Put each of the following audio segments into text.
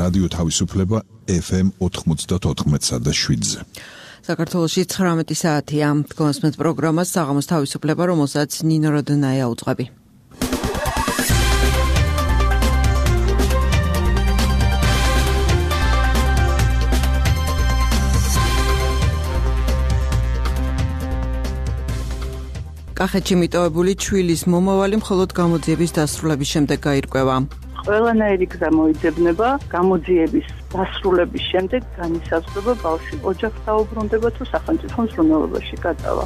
რადიო თავისუფლება FM 94.7-ზე. საქართველოში 19 საათია. გონსმენთ პროგრამას საღამოს თავისუფლება, რომელსაც ნინო როდნაია უძღვები. კახეთში მიტოვებული ჩვილის მომავალი მხოლოდ გამოძიების დასრულების შემდეგ გაირკვევა. ყველანაირი გზა მოიძებნება გამოძიების დასრულების შემდეგ განისაზღვრება ბავშვი ოჯახს დაუბრუნდება თუ სახელმწიფო მზრუნველობაში გადავა.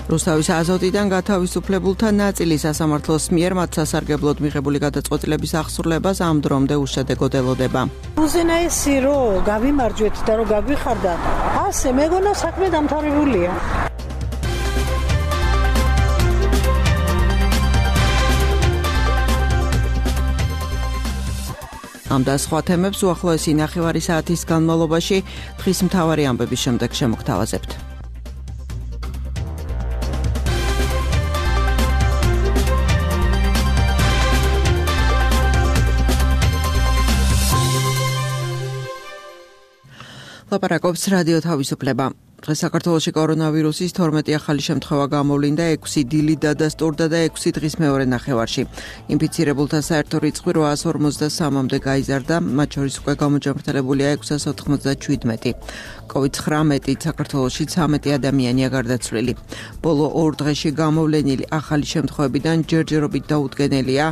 რუსთავის აზოტიდან გათავისუფლებულთა ნაწილი სასამართლოს მიერ მათ სასარგებლოდ მიღებული გადაწყვეტილების აღსრულებას ამ დრომდე უშედეგოდ ელოდება. უზენაესი რომ გავიმარჯვეთ და რომ გაგვიხარდა, ასე მეგონა საქმე დამთავრებულია. ამ და სხვა თემებს უახლოესი ნახევარი საათის განმავლობაში დღის მთავარი ამბების შემდეგ შემოგთავაზებთ. ლაპარაკობს რადიო თავისუფლება. დღეს საქართველოში კორონავირუსის 12 ახალი შემთხვევა გამოვლინდა, 6 დილი დადასტურდა და 6 დღის მეორე ნახევარში. ინფიცირებულთა საერთო რიცხვი 853-მდე გაიზარდა, მათ შორის უკვე გამოჯანმრთელებულია 697. COVID-19 საქართველოში 13 ადამიანია გარდაცვლილი. ბოლო 2 დღეში გამოვლენილი ახალი შემთხვევებიდან ჯერჯერობით დაუდგენელია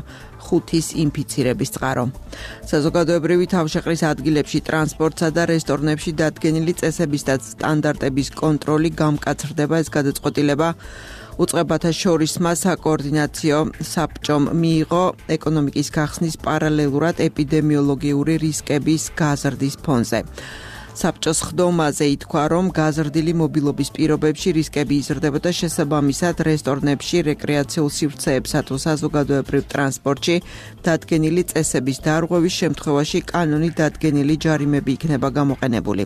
5-ის ინფიცირების წყარო. საზოგადოებრივი თავშეყრის ადგილებში, ტრანსპორტსა და რესტორნებში დადგენილი წესების და სტანდარტების კონტროლი გამკაცრდება. ეს გადაწყვეტილება უწყებათა შორისმა საკოორდინაციო საბჭომ მიიღო ეკონომიკის გახსნის პარალელურად ეპიდემიოლოგიური რისკების გაზრდის ფონზე. საბჭოს ხდომაზე ითქვა, რომ გაზრდილი მობილობის პირობებში რისკები იზრდება და შესაბამისად რესტორნებში, რეკრეაციულ სივრცეებსა თუ საზოგადოებრივ ტრანსპორტში დადგენილი წესების დარღვევის შემთხვევაში კანონით დადგენილი ჯარიმები იქნება გამოყენებული.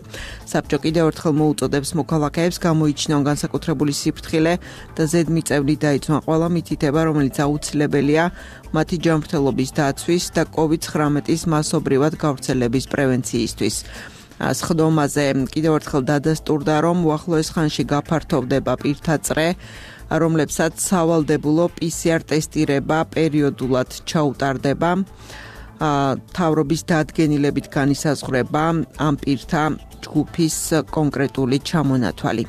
საბჭო კიდევ ერთხელ მოუწოდებს მოქალაქეებს გამოიჩინონ განსაკუთრებული სიფრთხილე და ზედმიწევნით დაიცვან ყველა მითითება, რომელიც აუცილებელია მათი ჯანმრთელობის დაცვის და COVID-19-ის მასობრივად გავრცელების პრევენციისთვის. ხდომაზე კიდევ ერთხელ დადასტურდა, რომ უახლოეს ხანში გაფართოვდება პირთა წრე, რომლებსაც სავალდებულო PCR ტესტირება პერიოდულად ჩაუტარდება. თავრობის დადგენილებით განისაზღვრება ამ პირთა ჯგუფის კონკრეტული ჩამონათვალი.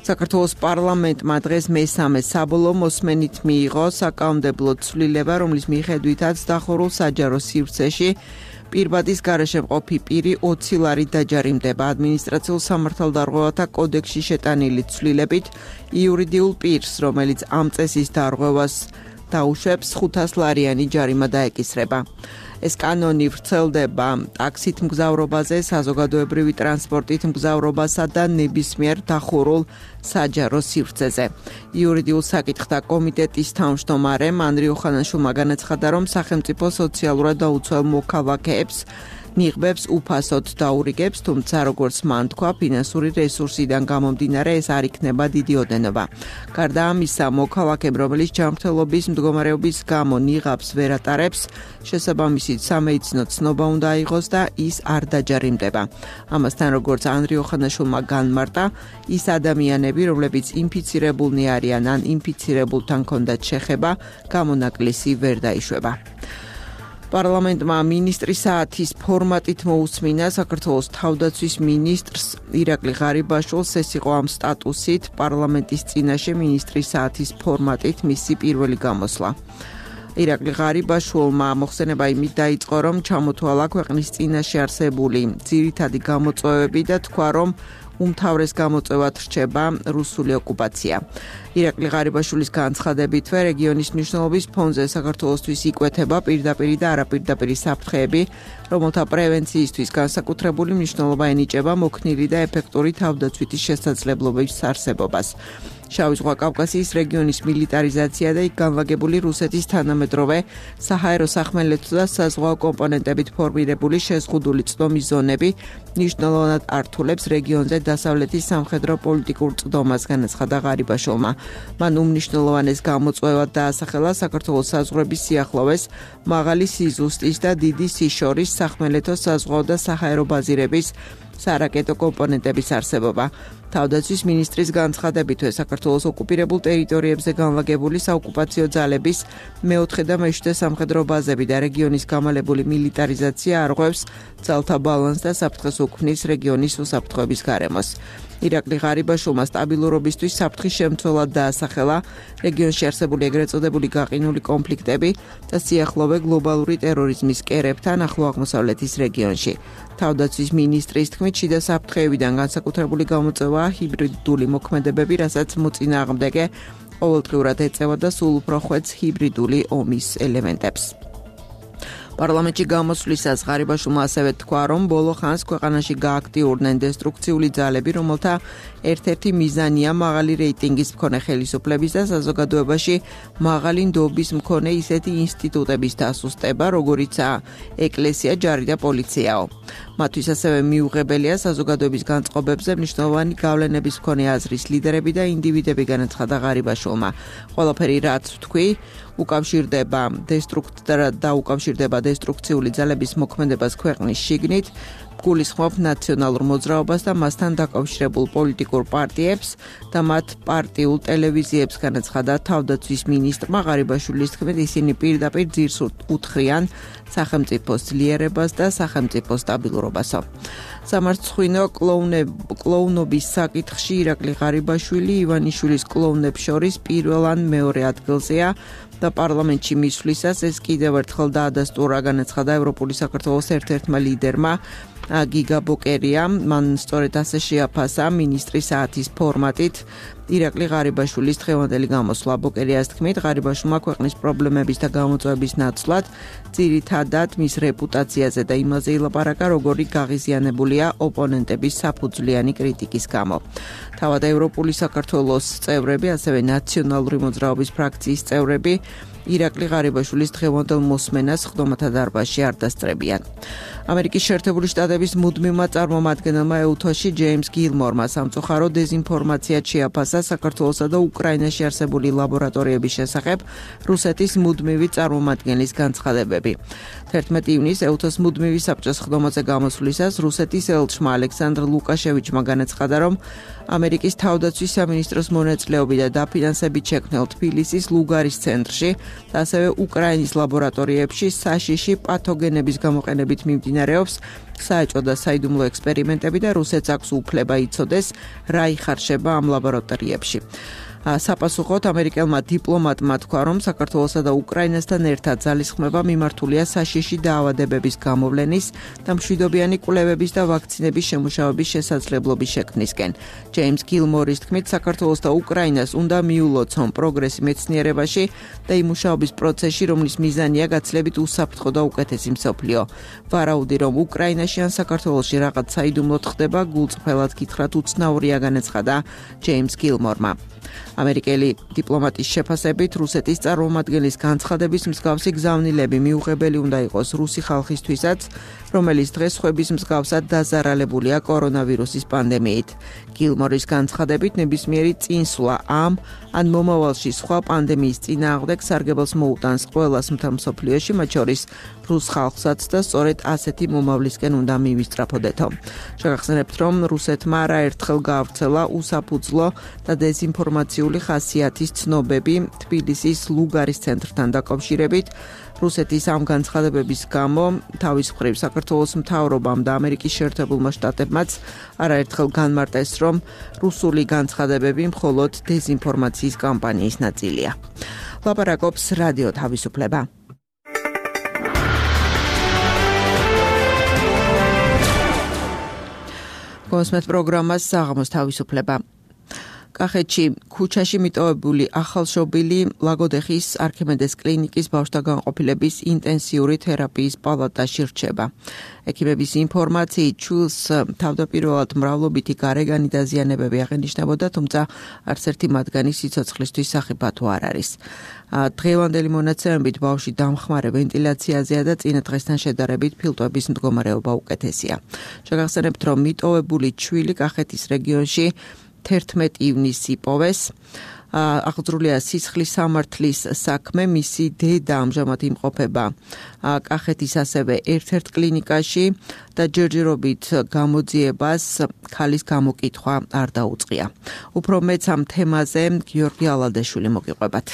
საქართველოს პარლამენტმა დღეს მესამე საბოლოო მოსმენით მიიღო საკანონმდებლო ცვლილება, რომლის მიხედვითაც დახურულ საჯარო სივრცეში პირბადის გარეშე მყოფი პირი 20 ლარით დაჯარიმდება. ადმინისტრაციულ სამართალდარღვევათა კოდექსში შეტანილი ცვლილებით იურიდიულ პირს, რომელიც ამ წესის დარღვევას დაუშვებს, 500 ლარიანი ჯარიმა დაეკისრება. ეს კანონი ვრცელდება ტაქსით მგზავრობაზე, საზოგადოებრივი ტრანსპორტით მგზავრობასა და ნებისმიერ დახურულ საჯარო სივრცეზე. იურიდიულ საკითხთა კომიტეტის თავმჯდომარემ ანდრიო ხანაშვილმა განაცხადა, რომ სახელმწიფო სოციალურად დაუცველ მოქალაქეებს ნიღბებს უფასოდ დაურიგებს, თუმცა როგორც მან თქვა, ფინანსური რესურსიდან გამომდინარე ეს არ იქნება დიდი ოდენობა. გარდა ამისა, მოქალაქემ, რომელიც ჯანმრთელობის მდგომარეობის გამო ნიღაბს ვერ ატარებს, შესაბამისი სამედიცინო ცნობა უნდა აიღოს და ის არ დაჯარიმდება. ამასთან, როგორც ანდრიო ხანაშვილმა განმარტა, ის ადამიანები, რომლებიც ინფიცირებულნი არიან ან ინფიცირებულთან ჰქონდათ შეხება, გამონაკლისი ვერ დაიშვება. პარლამენტმა მინისტრის საათის ფორმატით მოусმინა საქართველოს თავდაცვის მინისტრს ირაკლი ღარიბაშვილს. ეს იყო ამ სტატუსით პარლამენტის წინაშე მინისტრის საათის ფორმატით მისი პირველი გამოსვლა. ირაკლი ღარიბაშვილმა მოხსენება იმით დაიწყო, რომ ჩამოთვალა ქვეყნის წინაშე არსებული ძირითადი გამოწვევები და თქვა, რომ უმთავრეს გამოწვევად რჩება რუსული ოკუპაცია. ირაკლი ღარიბაშვილის განცხადებითვე რეგიონის მნიშვნელობის ფონზე საქართველოსთვის იკვეთება პირდაპირი და არაპირდაპირი საფრთხეები, რომელთა პრევენციისთვის განსაკუთრებული მნიშვნელობა ენიჭება მოქნილი და ეფექტური თავდაცვითი შესაძლებლობების არსებობას. შავი ზღვა კავკასიის რეგიონის მილიტარიზაცია და იქ განლაგებული რუსეთის თანამედროვე საჰაერო სახმელეთო და საზღვაო კომპონენტებით ფორმირებული შეზღუდული წვდომის ზონები მნიშვნელოვნად ართულებს რეგიონზე დასავლეთის სამხედრო პოლიტიკურ წვდომას, განაცხადა ღარიბაშვილმა. მან უმნიშვნელოვანეს გამოწვევად დაასახელა საქართველოს საზღვრების სიახლოვეს მაღალი სიზუსტის და დიდი სიშორის სახმელეთო საზღვაო და საჰაერო ბაზირების სარაკეტო კომპონენტების არსებობა. თავდაცვის მინისტრის განცხადებითვე საქართველოს ოკუპირებულ ტერიტორიებზე განლაგებული საოკუპაციო ძალების მეოთხე და მეშვიდე სამხედრო ბაზები და რეგიონის გამალებული მილიტარიზაცია არღვევს ძალთა ბალანსს და საფრთხეს უქმნის რეგიონის უსაფრთხოების გარემოს. ირაკლი ღარიბაშვილმა სტაბილურობისთვის საფრთხის შემცველად დაასახელა რეგიონში არსებული ეგრეთ წოდებული გაყინული კონფლიქტები და სიახლოვე გლობალური ტერორიზმის კერებთან ახლო აღმოსავლეთის რეგიონში. თავდაცვის მინისტრის თქმით, შიდა საფრთხეებიდან განსაკუთრებული გამოწვევაა ჰიბრიდული მოქმედებები, რასაც მოწინააღმდეგე ყოველდღიურად ეწევა და სულ უფრო ხვეთს ჰიბრიდული ომის ელემენტებს. პარლამენტში გამოსვლისას ღარიბაშვილმა ასევე თქვა, რომ ბოლო ხანს ქვეყანაში გააქტიურდნენ დესტრუქციული ძალები, რომელთა ერთ-ერთი მიზანია მაღალი რეიტინგის მქონე ხელისუფლების და საზოგადოებაში მაღალი ნდობის მქონე ისეთი ინსტიტუტების დასუსტება, როგორიცაა ეკლესია, ჯარი და პოლიციაო. მათთვის ასევე მიუღებელია საზოგადოების განწყობებზე მნიშვნელოვანი გავლენების მქონე აზრის ლიდერები და ინდივიდები, განაცხადა ღარიბაშვილმა. ყველაფერი რაც ვთქვი, უკავშირდება დესტრუქციული ძალების მოქმედებას ქვეყნის შიგნით, გულისხმობ ნაციონალურ მოძრაობას და მასთან დაკავშირებულ პოლიტიკურ პარტიებს და მათ პარტიულ ტელევიზიებს, განაცხადა თავდაცვის მინისტრმა. ღარიბაშვილის თქმით, ისინი პირდაპირ ძირს უთხრიან სახელმწიფოს ძლიერებას და სახელმწიფოს სტაბილურობასო. სამარცხვინო კლოუნობის საკითხში ირაკლი ღარიბაშვილი ივანიშვილის კლოუნებს შორის პირველ ან მეორე ადგილზეა და პარლამენტში მისვლისას ეს კიდევ ერთხელ დაადასტურა, განაცხადა ევროპული საქართველოს ერთ-ერთმა ლიდერმა გიგა ბოკერიამ. მან სწორედ ასე შეაფასა მინისტრის საათის ფორმატით ირაკლი ღარიბაშვილის დღევანდელი გამოსვლა. ბოკერიას თქმით, ღარიბაშვილმა ქვეყნის პრობლემების და გამოწვევების ნაცვლად ძირითადად მის რეპუტაციაზე და იმაზე ილაპარაკა, როგორი გაღიზიანებულია ოპონენტების საფუძვლიანი κρიტიკის გამო. თავად ევროპული საქართველოს წევრები, ასევე ნაციონალური მოძრაობის ფრაქციის წევრები ირაკლი ღარიბაშვილის დღევანდელ მოსმენას ხდომათა დარბაზში არ დასწრებიან. ამერიკის შეერთებული შტატების მუდმივმა წარმომადგენელმა ეუთოში ჯეიმს გილმორმა სამწუხარო დეზინფორმაციად შეაფასა საქართველოსა და უკრაინაში არსებული ლაბორატორიების შესახებ რუსეთის მუდმივი წარმომადგენლის განცხადებები. 11 ივნისს ეუთოს მუდმივი საბჭოს ხდომაზე გამოსვლისას რუსეთის ელჩმა ალექსანდრ ლუკაშევიჩმა განაცხადა, რომ ამერიკის თავდაცვის სამინისტროს მონაწილეობით და დაფინანსებით შექმნილ თბილისის ლუგარის ცენტრში და ასევე უკრაინის ლაბორატორიებში საშიში პათოგენების გამოყენებით მიმდინარეობს საეჭვო და საიდუმლო ექსპერიმენტები და რუსეთს აქვს უფლება იცოდეს, რა იხარშება ამ ლაბორატორიებში. საპასუხოდ ამერიკელმა დიპლომატმა თქვა, რომ საქართველოსა და უკრაინასთან ერთად ძალისხმევა მიმართულია საშიში დაავადებების გამოვლენის და მშვიდობიანი კვლევების და ვაქცინების შემუშავების შესაძლებლობის შექმნისკენ. ჯეიმს გილმორის თქმით, საქართველოს და უკრაინას უნდა მიულოცონ პროგრესი მეცნიერებაში და იმ მუშაობის პროცესში, რომლის მიზანია გაცილებით უსაფრთხო და უკეთესი მსოფლიო. ვარაუდი, რომ უკრაინაში ან საქართველოში რაღაც საიდუმლოდ ხდება, გულწრფელად გითხრათ უცნაურია, განაცხადა ჯეიმს გილმორმა. ამერიკელი დიპლომატის შეფასებით რუსეთის წარმომადგენლის განცხადების მსგავსი გზავნილები მიუღებელი უნდა იყოს რუსი ხალხისთვისაც, რომელიც დღეს ხვების მსგავსად დაზარალებულია კორონავირუსის პანდემიით. გილმორის განცხადებით ნებისმიერი წინსვლა ამ ან მომავალში სხვა პანდემიის წინააღმდეგ სარგებელს მოუტანს ყველას მთელ მსოფლიოში, მათ შორის რუს ხალხსაც და სწორედ ასეთი მომავლისკენ უნდა მივისწრაფოდეთო. შეგახსენებთ, რომ რუსეთმა არაერთხელ გაავრცელა უსაფუძვლო და დეზინფორმაციული ხასიათის ცნობები თბილისის ლუგარის ცენტრთან დაკავშირებით. რუსეთის ამ განცხადებების გამო თავის მხრივ საქართველოს მთავრობამ და ამერიკის შეერთებულმა შტატებმაც არაერთხელ განმარტეს, რომ რუსული განცხადებები მხოლოდ დეზინფორმაციის კამპანიის ნაწილია. ლაპარაკობს რადიო თავისუფლება. გოსმეთ პროგრამას საღამოს თავისუფლება. კახეთში ქუჩაში მიტოვებული ახალშობილი ლაგოდეხის არქიმედეს კლინიკის ბავშვთა განყოფილების ინტენსიური თერაპიის პალატაში რჩება. ექიმების ინფორმაციით ჩვილს თავდაპირველად მრავლობითი გარეგანი დაზიანებები აღენიშნებოდა, თუმცა არც ერთი მათგანი სიცოცხლისთვის სახიფათო არ არის. დღევანდელი მონაცემებით ბავშვი დამხმარე ვენტილაციაზეა და წინა დღესთან შედარებით ფილტვების მდგომარეობა უკეთესია. შეგახსენებთ, რომ მიტოვებული ჩვილი კახეთის რეგიონში 11 ივნისს იპოვეს. აღძრულია სისხლის სამართლის საქმე, მისი დედა ამჟამად იმყოფება კახეთის ასევე ერთ-ერთ კლინიკაში და ჯერჯერობით გამოძიებას ქალის გამოკითხვა არ დაუწყია. უფრო მეც ამ თემაზე გიორგი ალადეშვილი მოგიყვებათ.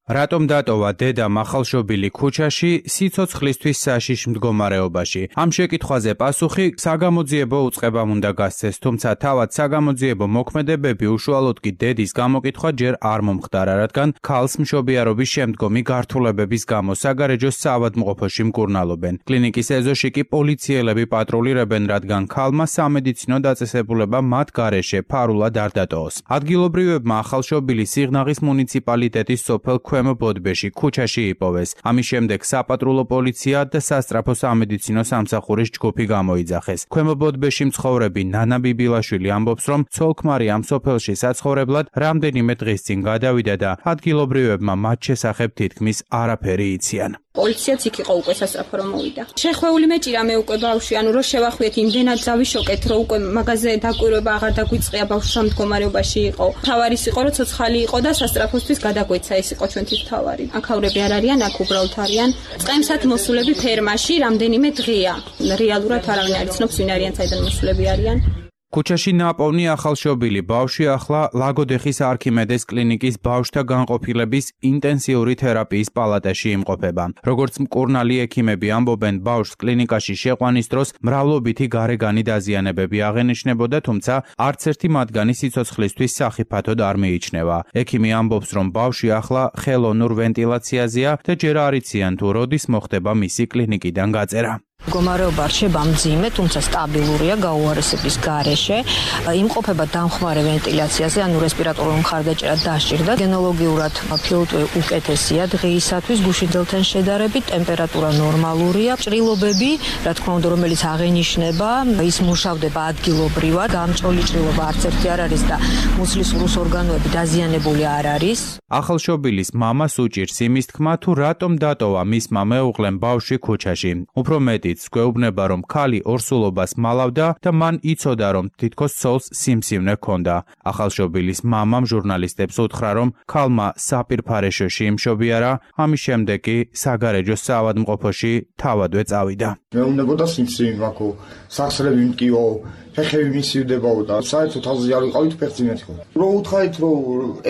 რატომ დატოვა დედამ ახალშობილი ქუჩაში სიცოცხლისთვის საშიშ მდგომარეობაში? ამ შეკითხვაზე პასუხი საგამოძიებო უწყებამ უნდა გასცეს, თუმცა თავად საგამოძიებო მოქმედებები უშუალოდ კი დედის გამოკითხვა ჯერ არ მომხდარა, რადგან ქალს მშობიარობის შემდგომი გართულებების გამო საგარეჯოს საავადმყოფოში მკურნალობენ. კლინიკის ეზოში კი პოლიციელები პატრულირებენ, რადგან ქალმა სამედიცინო დაწესებულება მათ გარეშე ფარულად არ დატოვოს. ადგილობრივებმა ახალშობილი სიღნაღის მუნიციპალიტეტის სოფელ ქვემო ბოდბეში ქუჩაში იპოვეს. ამის შემდეგ საპატრულო პოლიცია და სასწრაფო სამედიცინო სამსახურის ჯგუფი გამოიძახეს. ქვემო ბოდბეში მცხოვრები ნანა ბიბილაშვილი ამბობს, რომ ცოლ-ქმარი ამ სოფელში საცხოვრებლად რამდენიმე დღის წინ გადავიდა და ადგილობრივებმა მათ შესახებ თითქმის არაფერი იციან. პოლიციაც იქ იყო უკვე სასწრაფო რომ მოვიდა. შეხვეული მეჭირა მე უკვე ბავშვი, ანუ რომ შევახვიეთ იმდენად დავიშოკეთ, რომ უკვე მაგაზე დაკვირვება აღარ დაგვიწყია, ბავშვი სამ მდგომარეობაში იყო. თავარის იყო, რომ ცოცხალი იყო და სასწრაფოსთვის გადაგვეცა, ეს იყო ჩვენთვის თავარი. აქავრები არ არიან, აქ უბრალოდ არიან. წყემსად მოსულები ფერმაში რამდენიმე დღეა. რეალურად არავინ არ იცნობს ვინ არიან, საიდან მოსულები არიან. ქუჩაში ნაპოვნი ახალშობილი ბავშვი ახლა ლაგოდეხის არქიმედეს კლინიკის ბავშვთა განყოფილების ინტენსიური თერაპიის პალატაში იმყოფება. როგორც მკურნალი ექიმები ამბობენ, ბავშვს კლინიკაში შეყვანის დროს მრავლობითი გარეგანი დაზიანებები აღენიშნებოდა, თუმცა არც ერთი მათგანი სიცოცხლისთვის სახიფათოდ არ მიიჩნევა. ექიმი ამბობს, რომ ბავშვი ახლა ხელოვნურ ვენტილაციაზეა და ჯერ არ იციან თუ როდის მოხდება მისი კლინიკიდან გაწერა. მდგომარეობა რჩება მძიმე, თუმცა სტაბილურია გაუარესების გარეშე. იმყოფება დამხმარე ვენტილაციაზე, ანუ რესპირატორული მხარდაჭერა დასჭირდა. გენოლოგიურად ფილტვი უკეთესია დღეისათვის, გუშინდელთან შედარებით, ტემპერატურა ნორმალურია. ჭრილობები, რა თქმა უნდა, რომელიც აღენიშნება, ის მუშავდება ადგილობრივად, გამჭოლი ჭრილობა არც ერთი არ არის და მუცლის ყრუს ორგანოები დაზიანებული არ არის. ახალშობილის მამას უჭირს იმის თქმა, თუ რატომ დატოვა მისმა მეუღლემ ბავშვი ქუჩაში. უფრო მეტიც გვეუბნება, რომ ქალი ორსულობას მალავდა და მან იცოდა, რომ თითქოს ცოლს სიმსივნე ჰქონდა. ახალშობილის მამამ ჟურნალისტებს უთხრა, რომ ქალმა საპირფარეშოში იმშობიარა, ამის შემდეგ კი საგარეჯოს საავადმყოფოში თავადვე წავიდა. მეუბნებოდა სიმსივნე მაქვს, სახსრები მტკიო, ფეხები მისივდებაო და საერთოდ თავზე არ ვიყავით ფეხძინეთ ხო. რო უთხარით, რომ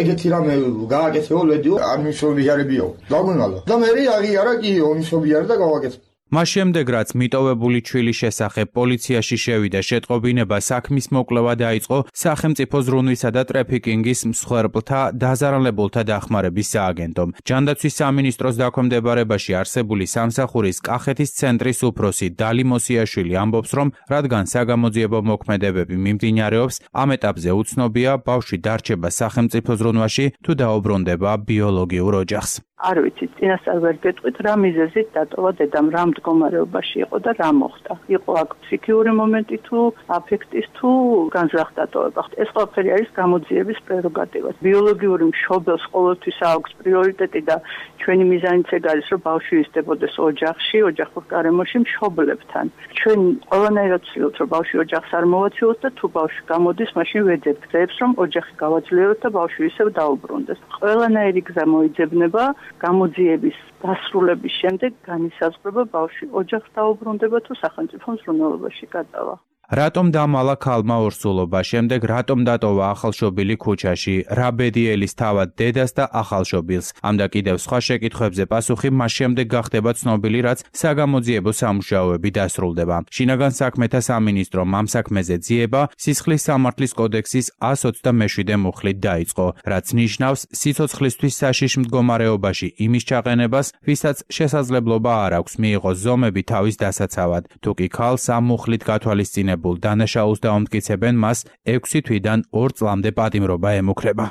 ეგეთი რამე გააკეთეო, ლედიო, არ მისვლიარებიო. დაგვიმალო. და მე აღიარა კი ომისობიარ და გავაკეთე. მას შემდეგ, რაც მიტოვებული ჩვილის შესახებ პოლიციაში შევიდა შეტყობინება, საქმის მოკვლევა დაიწყო სახელმწიფო ზრუნვისა და ტრაფიკინგის მსხვერპლთა დაზარალებულთა დახმარების სააგენტომ. ჯანდაცვის სამინისტროს დაქვემდებარებაში არსებული სამსახურის კახეთის ცენტრის უფროსი დალი მოსიაშვილი ამბობს, რომ რადგან საგამოძიებო მოქმედებები მიმდინარეობს, ამ ეტაპზე უცნობია ბავშვი დარჩება სახელმწიფო ზრუნვაში თუ დაუბრუნდება ბიოლოგიურ ოჯახს. არ ვიცი, წინასწარ ვერ გეტყვით, რა მიზეზით დატოვა დედამ, რა მდგომარეობაში იყო და რა მოხდა. იყო აქ ფსიქიური მომენტი თუ აფექტის თუ განზრახ დატოვება. ეს ყველაფერი არის გამოძიების პრეროგატივა. ბიოლოგიური მშობელს ყოველთვის აქვს პრიორიტეტი და ჩვენი მიზანიც ეგ არის, რომ ბავშვი იზრდებოდეს ოჯახში, ოჯახურ გარემოში მშობლებთან. ჩვენ ყველანაირად ვცდილობთ, რომ ბავშვი ოჯახს არ მოვაცილოთ და თუ ბავშვი გამოდის, მაშინ ვეძებთ გზებს, რომ ოჯახი გავაძლიეროთ და ბავშვი ისევ დაუბრუნდეს. ყველანაირი გზა მოიძებნება. გამოძიების დასრულების შემდეგ განისაზღვრება ბავშვი ოჯახს დაუბრუნდება თუ სახელმწიფო მზრუნველობაში გადავა. რატომ დამალა ქალმა ორსულობა, შემდეგ რატომ დატოვა ახალშობილი ქუჩაში, რა ბედიელის თავად დედას და ახალშობილს? ამ და კიდევ სხვა შეკითხვებზე პასუხი მას შემდეგ გახდება ცნობილი, რაც საგამოძიებო სამუშაოები დასრულდება. შინაგან საქმეთა სამინისტრომ ამ საქმეზე ძიება სისხლის სამართლის კოდექსის 127 მუხლით დაიწყო, რაც ნიშნავს სიცოცხლისთვის საშიშ მდგომარეობაში იმის ჩაყენებას, ვისაც შესაძლებლობა არ აქვს მიიღოს ზომები თავის დასაცავად. თუ კი ქალს ამ მუხლით გათვალისწინება დაბრუნებულ დანაშაულს დაამტკიცებენ, მას 6 თვიდან 2 წლამდე პატიმრობა ემუქრება.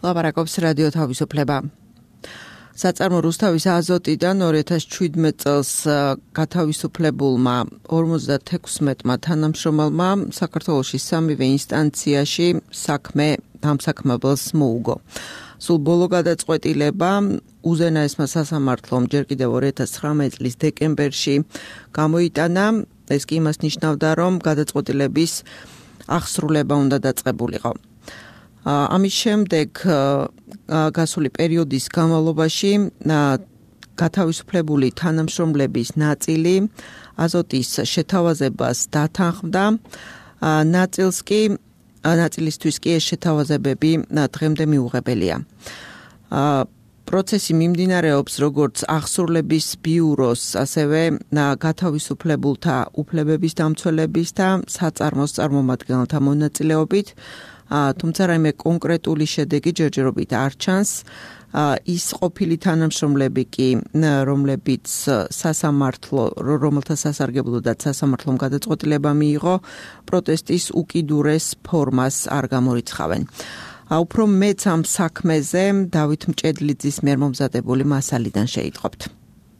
ლაპარაკობს რადიო თავისუფლება. საწარმო რუსთავის აზოტიდან 2017 წელს გათავისუფლებულმა 56-მა თანამშრომელმა საქართველოში სამივე ინსტანციაში ამ საქმეებს მოუგო. სულ ბოლო გადაწყვეტილება უზენაესმა სასამართლომ ჯერ კიდევ 2019 წლის დეკემბერში გამოიტანა. ეს კი იმას ნიშნავდა, რომ გადაწყვეტილების აღსრულება უნდა დაწყებულიყო. ამის შემდეგ გასული პერიოდის განმავლობაში გათავისუფლებული თანამშრომლების ნაწილი აზოტის შეთავაზებას დათანხმდა, ნაწილისთვის კი ეს შეთავაზებები დღემდე მიუღებელია. პროცესი მიმდინარეობს როგორც აღსრულების ბიუროს, ასევე გათავისუფლებულთა უფლებების დამცველების და საწარმოს წარმომადგენელთა მონაწილეობით. თუმცა რაიმე კონკრეტული შედეგი ჯერჯერობით არ ჩანს. ის ყოფილი თანამშრომლები კი, რომლებიც რომელთა სასარგებლოდაც სასამართლომ გადაწყვეტილება მიიღო, პროტესტის უკიდურეს ფორმას არ გამორიცხავენ. უფრო მეც ამ საქმეზე დავით მჭედლიძის მიერ მომზადებული მასალიდან შეიტყობთ.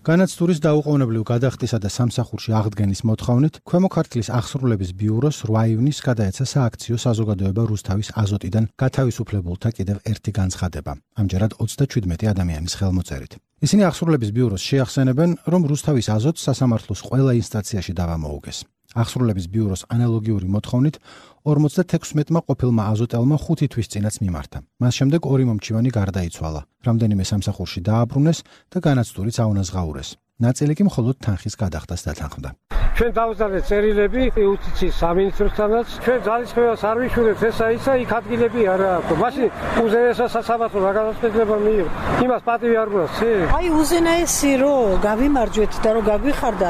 განაცდურის დაუყოვნებლივ გადახდისა და სამსახურში აღდგენის მოთხოვნით ქვემო ქართლის აღსრულების ბიუროს 8 ივნისს გადაეცა სააქციო საზოგადოება რუსთავის აზოტიდან გათავისუფლებულთა კიდევ ერთი განცხადება. ამჯერად 37 ადამიანის ხელმოწერით. ისინი აღსრულების ბიუროს შეახსენებენ, რომ რუსთავის აზოტს სასამართლოს ყველა ინსტანციაში დავა მოუგეს. აღსრულების ბიუროს ანალოგიური მოთხოვნით 56-მა ყოფილმა აზოტელმა 5 თვის წინაც მიმართა. მას შემდეგ 2 მომჩივანი გარდაიცვალა. რამდენიმე სამსახურში დააბრუნეს და განაცდურიც აუნაზღაურეს. ნაწილი კი მხოლოდ თანხის გადახდას დათანხმდა. ჩვენ დავზარდეთ წერილები იუსტიციის სამინისტროსთანაც. ჩვენ ძალისხმევას არ ვიშურეთ ესა ისა, იქ ადგილები არა აქვს. მაშინ უზენაესმა სასამართლომ რა გადაწყვეტილება მიიღო? იმას პატივი არ გვაქვს. აი უზენაესი რომ გავიმარჯვეთ და რომ გაგვიხარდა,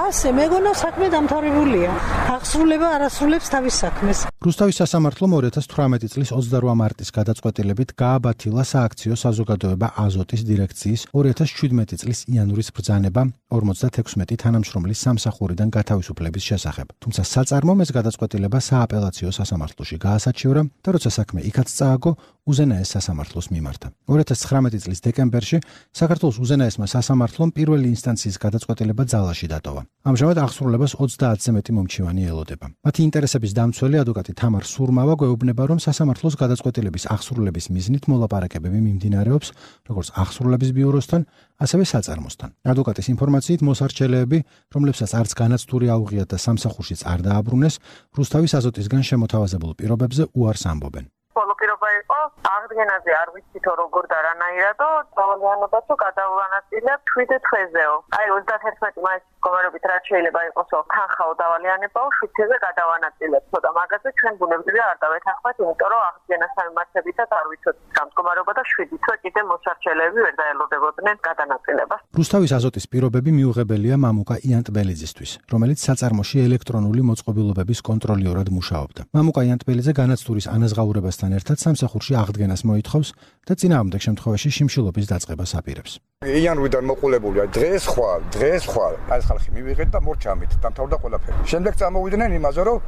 ასე მეგონა საქმე დამთავრებულია. აღსრულება არასრულებს თავის საქმეს. რუსთავის სასამართლომ 2018 წლის 28 მარტის გადაწყვეტილებით გააბათილა სააქციო საზოგადოება აზოტის დირექციის 2017 წლის იანვრის ბრძანება 56 თანამშრომლის სამსახურიდან გათავისუფლების შესახებ. თუმცა საწარმომ ეს გადაწყვეტილება სააპელაციო სასამართლოში გაასაჩივრა და როცა საქმე იქაც წააგო, უზენაეს სასამართლოს მიმართა. 2019 წლის დეკემბერში საქართველოს უზენაესმა სასამართლომ პირველი ინსტანციის გადაწყვეტილება ძალაში დატოვა. ამჟამად აღსრულებას 30-ზე მეტი მომჩივანი ელოდება. მათი ინტერესების დამცველი ადვოკატი თამარ სურმავა გვეუბნება, რომ სასამართლოს გადაწყვეტილების აღსრულების მიზნით მოლაპარაკებები მიმდინარეობს როგორც აღსრულების ბიუროსთან, ასევე საწარმოსთან. ადვოკატის ინფორმაციით მოსარჩელეები, რომლებსაც არც განაცდური აუღიათ და სამსახურშიც არ დააბრუნეს, რუსთავის აზოტისგან შემოთავაზებულ პირობებზე უარს ამბობენ. ბოლო პირობა იყო აღდგენაზე არ ვიცითო როგორ და რანაირადო დავალიანებას თუ გადავანაწილებ 7 თვეზეო. აი 31 მაისის მდგომარეობით რაც შეიძლება იყოსო თანხაო დავალიანებაო 7 თვეზე გადავანაწილებ. ცოტა მაგაზე ჩვენ ბუნებრივია არ დავეთანხმეთ, იმიტომ რომ აღდგენას მიმართებითაც არ ვიცოდი გამდგომარეობა და 7 თვე კიდე მოსარჩელეები ვერ დაელოდებოდნენ გადანაწილებას. რუსთავის აზოტის პირობები მიუღებელია მამუკა იანტბელიძისთვის, რომელიც საწარმოში ელექტრონული მოწყობილობების კონტროლიორად მუშაობდა. მამუკა იანტბელიძე განაცდურის ანაზღაურებასთან ერთად სამსახურში აღდგენას მოითხოვს და წინააღმდეგ შემთხვევაში შიმშილობის დაწყებას აპირებს. იანვრიდან მოყოლებულია დღეს ხვალ ეს ხალხი მივიღეთ და მორჩამით დამთავრდა ყველაფერი. შემდეგ წამოვიდნენ იმაზე, რომ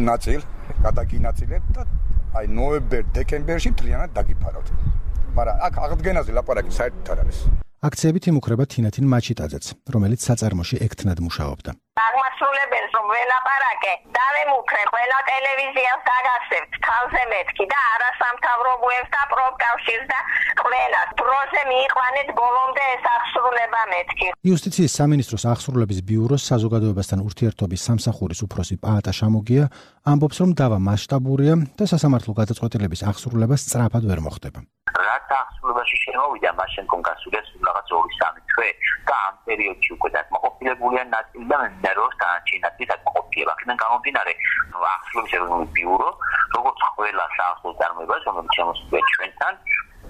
ნაწილ გადაგინაწილეთ და აი ნოემბერ-დეკემბერში მთლიანად დაგიფარავთ. მაგრამ აქ აღდგენაზე ლაპარაკი საერთოდ არ არის. აქციებით იმუქრება თინათინ მაჩიტაძეც, რომელიც საწარმოში ექთნად მუშაობდა. აღმასრულებელს რომ ველაპარაკე, დავემუქრე ყველა ტელევიზიას დაგასევთ, თავზე მეთქი და არასამთავრობოებს და პროფკავშირს და ყველას დროზე მიიყვანეთ ბოლომდე ეს აღსრულება მეთქი. იუსტიციის სამინისტროს აღსრულების ბიუროს საზოგადოებასთან ურთიერთობის სამსახურის უფროსი პაატა შამოგია ამბობს, რომ დავა მასშტაბურია და სასამართლო გადაწყვეტილების აღსრულება სწრაფად ვერ მოხდება. რაც აღსრულებაში შემოვიდა, მას შემდგომ გასულია სულ რაღაც 2-3 თვე და ამ პერიოდში უკვე დაკმაყოფილებულია ნაწილი და მენდეროს დანარჩენები დაკმაყოფილება. აქედან გამომდინარე, აღსრულების ეროვნული ბიურო, როგორც ყველა საახსოვ წარმოებას, რომელიც შემოსულია ჩვენთან,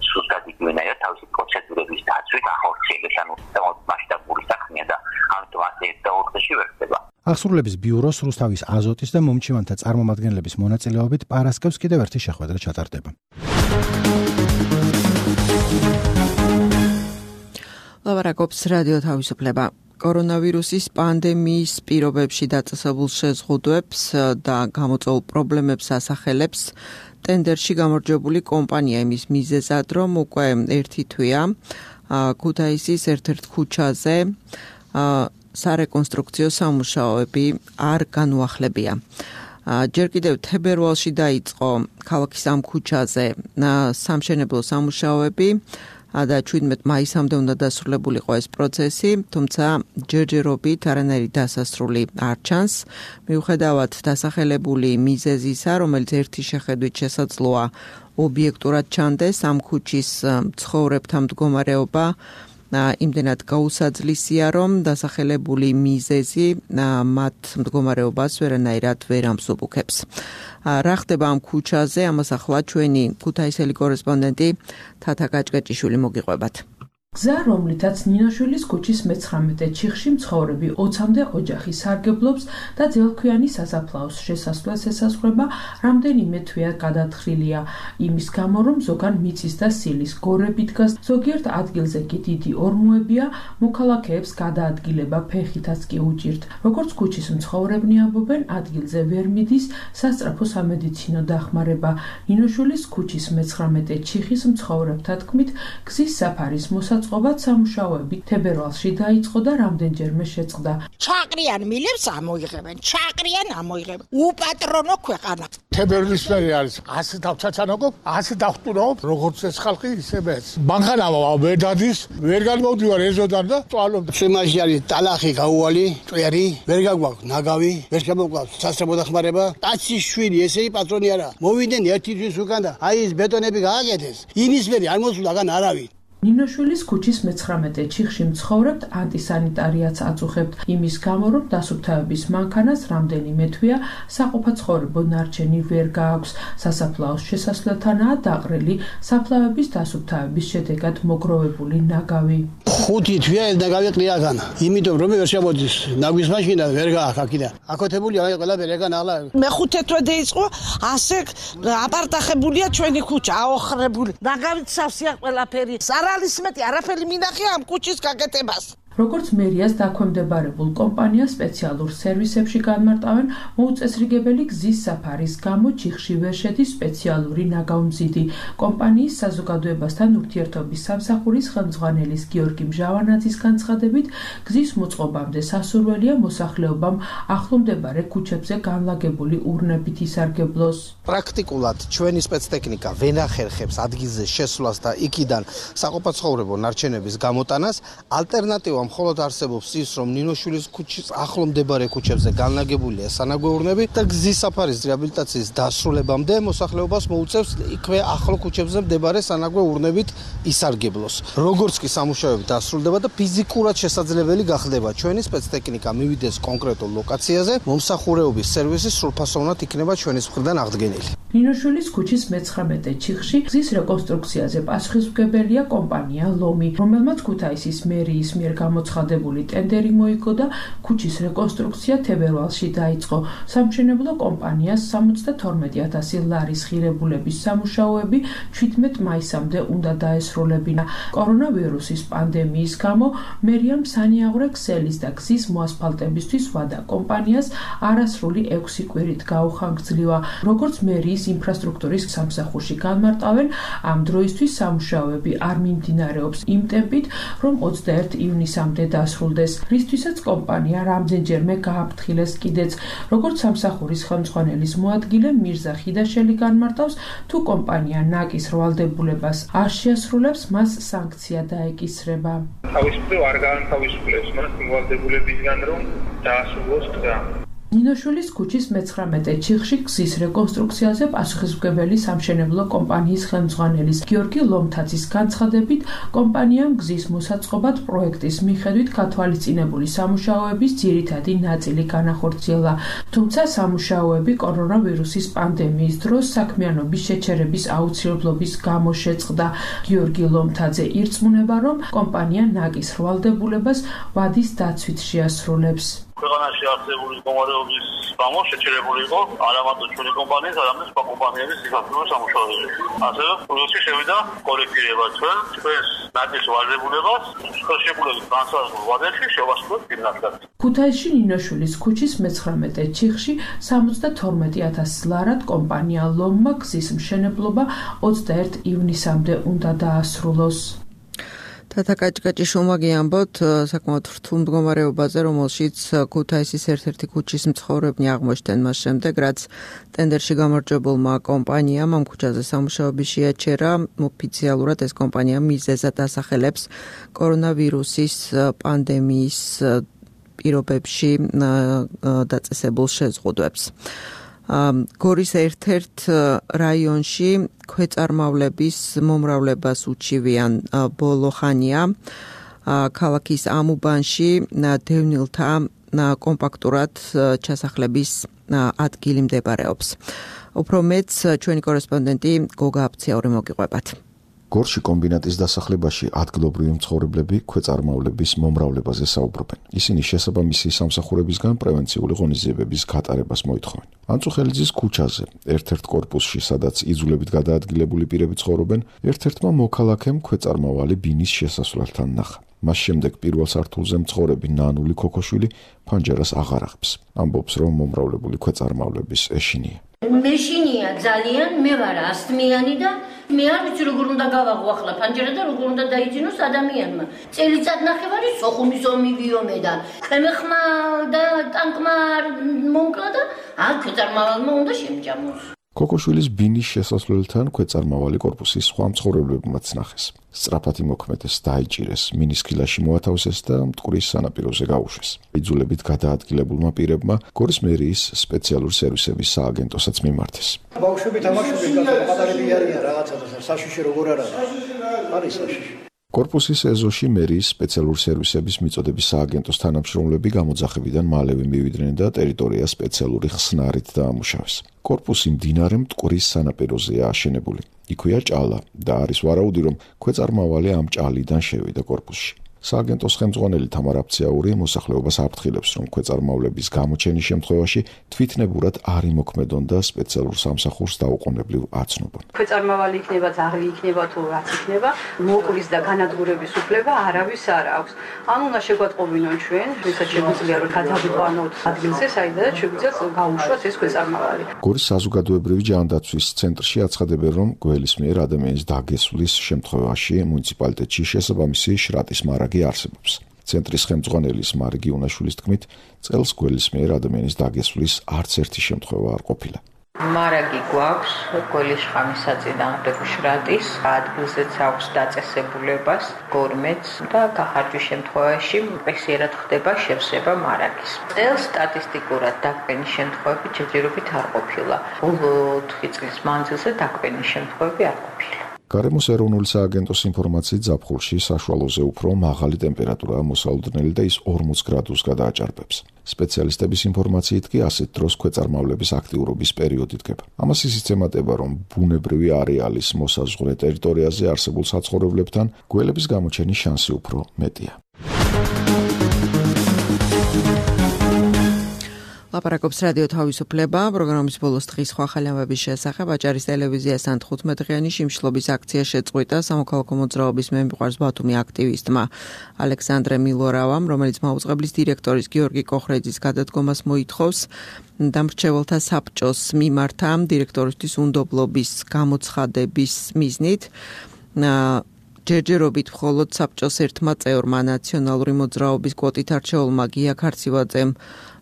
სუსტად იგივენაა თავისი პროცედურების დაცვით ახორციელებს, ანუ მასშტაბური საქმეა და ამიტომ ასე და 4 დღეში ვერ ხდება. აღსრულების ბიუროს რუსთავის აზოტის და მომჩივანთა წარმომადგენლების მონაწილეობით პარასკევს კიდევ ერთი შეხვედრა ჩატარდება. ლაპარაკობს რადიო თავისუფლება. კორონავირუსის პანდემიის პირობებში დაწესებულ შეზღუდვებს და გამოწვეულ პრობლემებს ასახელებს ტენდერში გამარჯვებული კომპანია იმის მიზეზად, რომ უკვე ერთი თვეა ქუთაისის ერთ-ერთ ქუჩაზე სარეკონსტრუქციო სამუშაოები არ განუახლებია. ჯერ კიდევ თებერვალში დაიწყო ქალაქის ამ ქუჩაზე სამშენებლო სამუშაოები და 17 მაისამდე უნდა დასრულებულიყო ეს პროცესი, თუმცა ჯერჯერობით არანაირი დასასრული არ ჩანს. მიუხედავად დასახელებული მიზეზისა, რომელიც ერთი შეხედვით შესაძლოა ობიექტურად ჩანდეს, ამ ქუჩის მცხოვრებთა მდგომარეობა იმდენად გაუსაძლისია, რომ დასახელებული მიზეზი მათ მდგომარეობას ვერანაირად ვერ ამსუბუქებს. რა ხდება ამ ქუჩაზე, ამას ახლა ჩვენი ქუთაისელი კორესპონდენტი თათა გაჭკეჭიშვილი მოგიყვებათ. გზა, რომლითაც ნინოშვილის ქუჩის 19 ჩიხში მცხოვრები 20-მდე ოჯახი სარგებლობს და ძელქვიანი სასაფლაოს შესასვლელს ესაზღვრება, რამდენიმე თვეა გადათხრილია. იმის გამო, რომ ზოგან მიწის და სილის გორები დგას, ზოგიერთ ადგილზე კი დიდი ორმოებია, მოქალაქეებს გადაადგილება ფეხითაც კი უჭირთ. როგორც ქუჩის მცხოვრებნი ამბობენ, ადგილზე ვერ მიდის სასწრაფო სამედიცინო დახმარება. ნინოშვილის ქუჩის 19 ჩიხის მცხოვრებთა თქმით, გზის საფარის მოსაწყობად სამუშაოები თებერვალში დაიწყო და რამდენჯერმე შეწყდა. ჩაყრიან მილებს ამოიღებენ, ჩაყრიან ამოიღებენ. უპატრონო ქვეყანა. თებერვლის მერე არის 100 დავჩაჩანოგო, 100 დავხტუნობ, როგორც ეს ხალხი ისე მეც. მანქანა ვერ დადის, ვერ გამოვდივარ ეზოდან და წვალობ. შემაში არის ტალახი გაუვალი, წვერი, ვერ გაგვაქვს ნაგავი, ვერ შემოგვაქვს სასწრაფო დახმარება. კაცის შვილი, ესეი პატრონი არა. მოვიდნენ ერთი თვის უკან და აი ეს ბეტონები გააკეთეს. იმის მერე არ მოსულა გან არავინ. ნინოშვილის ქუჩის 19 ჩიხში მცხოვრებთ ანტისანიტარიაც აწუხებთ იმის გამო, რომ დასუფთავების მანქანას რამდენიმე თვეა საყოფაცხოვრებო ნარჩენი ვერ გააქვს. სასაფლაოს შესასვლელთანაა დაყრილი საფლავების დასუფთავების შედეგად მოგროვებული ნაგავი. 5 თვეა ეს ნაგავი ყრიაგან. იმიტომ რომ ვერ შემოდის ნაგვის მაშინა ვერ გააქვს აქიდან. აკეთებული აი ყველაფერი ეგან ახლა. მე-5 თვე დაიწყო, ასე აპარტახებულია ჩვენი ქუჩა, აოხრებული. ნაგავით სავსეა ყველაფერი. არის მეტი არაფერი მინახია ამ ქუჩის გაკეთებას. როგორც მერიას დაქვემდებარებულ კომპანიას სპეციალურ სერვისებში განმარტავენ, მოუწესრიგებელი გზის საფარის გამო ჩიხში ვერ შედის სპეციალური ნაგავმზიდი. კომპანიის საზოგადოებასთან ურთიერთობის სამსახურის ხელმძღვანელის გიორგი მჟავანაძის განცხადებით, გზის მოწყობამდე სასურველია მოსახლეობამ ახლომდებარე ქუჩებზე განლაგებული ურნებით ისარგებლოს. პრაქტიკულად ჩვენი სპეცტექნიკა ვენახერხებს ადგილზე შესვლას და იქიდან საყოფაცხოვრებო ნარჩენების გამოტანას. ალტერნატივა მხოლოდ არსებობს ის, რომ ნინოშვილის ქუჩის ახლომდებარე ქუჩებზე განლაგებულია სანაგვე ურნები და გზის საფარის რეაბილიტაციის დასრულებამდე მოსახლეობას მოუწევს იქვე ახლო ქუჩებზე მდებარე სანაგვე ურნებით ისარგებლოს. როგორც კი სამუშაოები დასრულდება და ფიზიკურად შესაძლებელი გახდება ჩვენი სპეცტექნიკა მივიდეს კონკრეტულ ლოკაციაზე, მომსახურეობის სერვისი სრულფასოვნად იქნება ჩვენის მხრიდან აღდგენილი. ნინოშვილის ქუჩის 19 ჩიხში გზის რეკონსტრუქციაზე პასუხისმგებელია კომპანია ლომი, რომელმაც ქუთაისის მერიის მიერ გამოცხადებული ტენდერი მოიგო და ქუჩის რეკონსტრუქცია თებერვალში დაიწყო. სამშენებლო კომპანიას 72,000 ლარის ღირებულების სამუშაოები 17 მაისამდე უნდა დაესრულებინა. კორონავირუსის პანდემიის გამო მერიამ სანიაღვრე ქსელის და გზის მოასფალტებისთვის ვადა კომპანიას არასრული 6 კვირით გაუხანგრძლივა. როგორც მერიის ინფრასტრუქტურის სამსახურში განმარტავენ, ამ დროისთვის სამუშაოები არ მიმდინარეობს იმ ტემპით, რომ 21 ივნისამდე დასრულდეს, რისთვისაც კომპანია რამდენჯერმე გააფრთხილეს კიდეც. როგორც სამსახურის ხელმძღვანელის მოადგილე მირზა ხიდაშელი განმარტავს, თუ კომპანია ნაკის რვალდებულებას არ შეასრულებს, მას სანქცია დაეკისრება. თავისუფლება არ განთავისუფლებს მას რვალდებულებისგან, რომ დაასრულოს გზა. ნინოშვილის ქუჩის 19 ჩიხში გზის რეკონსტრუქციაზე პასუხისმგებელი სამშენებლო კომპანიის ხელმძღვანელის გიორგი ლომთაძის განცხადებით, კომპანიამ გზის მოსაწყობად პროექტის მიხედვით გათვალისწინებული სამუშაოების ძირითადი ნაწილი განახორციელა. თუმცა სამუშაოები კორონავირუსის პანდემიის დროს საქმიანობის შეჩერების აუცილებლობის გამო შეწყდა. გიორგი ლომთაძე ირწმუნება, რომ კომპანია ნაკის რვალდებულებას ვადის დაცვით შეასრულებს. ქვეყანაში არსებული მდგომარეობის გამო შეჩერებული იყო არა მარტო ჩვენი კომპანიის, არამედ სხვა კომპანიების სიხარული სამუშაოები. ასევე პროცესში შევიდა კორექტირება ჩვენს ნაკლის ვალდებულებას ხელშეკრულების განსაზღვრულ ვადებში შევასრულეთ გიმნაზიად. ქუთაისში ნინოშვილის ქუჩის 19 ჩიხში 72,000 ლარად კომპანია ლომმა გზის მშენებლობა 21 ივნისამდე უნდა დაასრულოს. თათაკაჭკაჭი შუმაგი ამბობთ საკმაოდ რთულ მდგომარეობაზე, რომელშიც ქუთაისის ერთ-ერთი ქუჩის მცხოვრებნი აღმოჩნდნენ მას შემდეგ, რაც ტენდერში გამარჯვებულმა კომპანიამ ამ ქუჩაზე სამუშაოები შეაჩერა. ოფიციალურად ეს კომპანია მიზეზად ასახელებს კორონავირუსის პანდემიის პირობებში დაწესებულ შეზღუდვებს. გორის ერთ-ერთ რაიონში ქვეწარმავლების მომრავლებას უჩივიან ბოლო ხანია. ქალაქის ამუბანში დევნილთა კომპაქტურად ჩასახლების ადგილი მდებარეობს. უფრო მეც ჩვენი კორესპონდენტი გოგა აფციაური მოგიყვებათ. გორში კომბინატის დასახლებაში ადგილობრივი მცხოვრებლები ქვეწარმავლების მომრავლებაზე საუბრობენ. ისინი შესაბამისი სამსახურებისგან პრევენციული ღონისძიებების გატარებას მოითხოვენ. ანწუხელიძის ქუჩაზე, ერთ-ერთ კორპუსში, სადაც იძულებით გადაადგილებული პირები ცხოვრობენ, ერთ-ერთმა მოქალაქემ ქვეწარმავალი ბინის შესასვლელთან ნახა. მას შემდეგ პირველ სართულზე მცხოვრები ნანული ქოქოშვილი ფანჯარას აღარ აღებს. ამბობს, რომ მომრავლებული ქვეწარმავლების ეშინია. მეშინია ძალიან, მე ვარ ასთმიანი და მე არ ვიცი როგორ უნდა გავაღო ახლა ფანჯარა და როგორ უნდა დაიძინოს ადამიანმა. წელიწად ნახევარი სოხუმის ომი ვიომე და ქვემეხმა და ტანკმა მომკლა და ქვეწარმავალმა უნდა შემჯამოს. ქოქოშვილის ბინის შესასვლელთან ქვეწარმავალი კორპუსის სხვა მცხოვრებლებმაც ნახეს. სწრაფად იმოქმედეს, დაიჭირეს, მინის ქილაში მოათავსეს და მტკვრის სანაპიროზე გაუშვეს. იძულებით გადაადგილებულმა პირებმა გორის მერიის სპეციალური სერვისების სააგენტოსაც მიმართეს. ბავშვები თამაშობენ, პატარები არიან რაღაცა და საშიში როგორ არ არის საშიში. კორპუსის ეზოში მერიის სპეციალური სერვისების მიწოდების სააგენტოს თანამშრომლები გამოძახებიდან მალევე მივიდნენ და ტერიტორია სპეციალური ხსნარით დაამუშავეს. კორპუსი მდინარე მტკვრის სანაპიროზეა აშენებული. იქვეა ჭალა და არის ვარაუდი, რომ ქვეწარმავალი ამ ჭალიდან შევიდა კორპუსში. სააგენტოს ხელმძღვანელი თამარ აფციაური მოსახლეობას აფრთხილებს, რომ ქვეწარმავლების გამოჩენის შემთხვევაში თვითნებურად არ იმოქმედონ და სპეციალურ სამსახურს დაუყოვნებლივ აცნობონ. ქვეწარმავალი იქნება, ძაღლი იქნება თუ რაც იქნება, მოკლის და განადგურების უფლება არავის არ აქვს. ან უნდა შეგვატყობინონ ჩვენ, ვისაც შეგვიძლია რომ გადავიყვანოთ ადგილზე, საიდანაც შეგვიძლია გაუშვათ ეს ქვეწარმავალი. გორის საზოგადოებრივი ჯანდაცვის ცენტრში აცხადებენ, რომ გველის მიერ ადამიანის დაგესვლის შემთხვევაში მუნიციპალიტეტში შესაბამისი შრატის მარაგი არსებობს. ცენტრის ხელმძღვანელის მარგი უნაშვილის თქმით, წელს გველის მიერ ადამიანის დაგესვლის არც ერთი შემთხვევა არ ყოფილა. მარაგი გვაქვს გველის შხამის საწინააღმდეგო შრატის, ადგილზეც აქვს დაწესებულებას გორმეთს და გახარჯვის შემთხვევაში პრესიერად ხდება შევსება მარაგის. წელს სტატისტიკურად დაკვენის შემთხვევები ჯერჯერობით არ ყოფილა. ბოლო 4 წლის მანძილზე დაკვენის შემთხვევები არ ყოფილა. გარემოს ეროვნული სააგენტოს ინფორმაციით ზაფხულში საშუალოზე უფრო მაღალი ტემპერატურაა მოსალოდნელი და ის 40 გრადუსს გადააჭარბებს. სპეციალისტების ინფორმაციით კი ასეთ დროს ქვეწარმავლების აქტიურობის პერიოდი დგება. ამას ისიც ემატება, რომ ბუნებრივი არეალის მოსაზღვრე ტერიტორიაზე არსებულ საცხოვრებლებთან გველების გამოჩენის შანსი უფრო მეტია. ლაპარაკობს რადიო თავისუფლება, პროგრამის ბოლოს დღის სხვა ხალხების შესახებ აჭარის ტელევიზიასთან 15-დღიანი შიმშილობის აქცია შეწყვიტა სამოქალაქო მოძრაობის მე მიყვარს ბათუმი აქტივისტმა ალექსანდრე მილორავამ, რომელიც მაუწყებლის დირექტორის გიორგი კოხრეძის გადადგომას მოითხოვს. დამრჩეველთა საბჭოს მიმართა დირექტორისთვის უნდობლობის გამოცხადების მიზნით ჯერჯერობით მხოლოდ საბჭოს ერთმა წევრმა ნაციონალური მოძრაობის კვოტით არჩეულმა გია ქარცივაძემ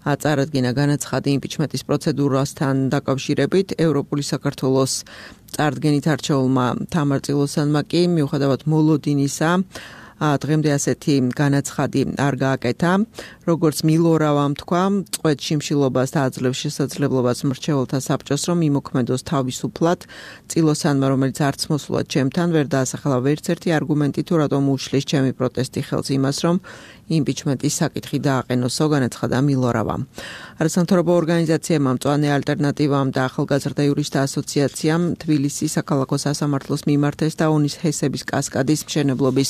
აწარადგინა განაცხადი იმპიჩმენტის პროცედურასთან დაკავშირებით. ევროპული საქართველოს წარდგენით არჩეულმა თამარ წილოსანმა კი მიუხედავად მოლოდინისა დღემდე ასეთი განაცხადი არ გააკეთა. როგორც მილორავამ თქვა, წყვეტ შიმშილობას და აძლევს შესაძლებლობას მრჩეველთა საბჭოს, რომ იმოქმედოს თავისუფლად. წილოსანმა, რომელიც არც მოსულად ჩემთან ვერ დაასახელა ვერც ერთი არგუმენტი, თუ რატომ უშლის ჩემი პროტესტი ხელს იმას, რომ იმპიჩმენტის საკითხი დააყენოსო, განაცხადა მილორავამ. არასამთავრობო ორგანიზაციებმა, მწვანე ალტერნატივამ და ახალგაზრდა იურისტთა ასოციაციამ თბილისის საქალაქო სასამართლოს მიმართეს და ონის ჰესების კასკადის მშენებლობის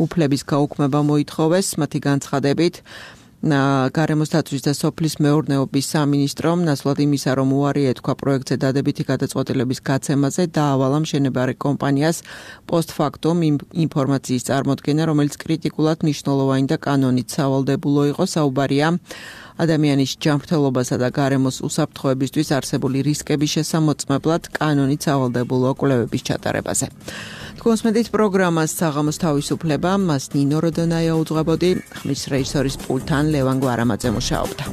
უფლების გაუქმება მოითხოვეს. მათი განცხადებით გარემოს დაცვის და სოფლის მეურნეობის სამინისტრომ ნაცვლად იმისა, რომ უარი ეთქვა პროექტზე დადებითი გადაწყვეტილების გაცემაზე, დაავალა მშენებარე კომპანიას პოსტფაქტუმ ინფორმაციის წარმოდგენა, რომელიც კრიტიკულად მნიშვნელოვანი და კანონით სავალდებულო იყო. საუბარია ადამიანის ჯანმრთელობასა და გარემოს უსაფრთხოებისთვის არსებული რისკების შესამოწმებლად კანონით სავალდებულო კვლევების ჩატარებაზე. Თქვენს პროგრამას საღამოს თავისუფლება, მას ნინო როდონაია უძღვებოდი, ხმის რეჟისორის პულტთან ლევან გვარამაძე მუშაობდა.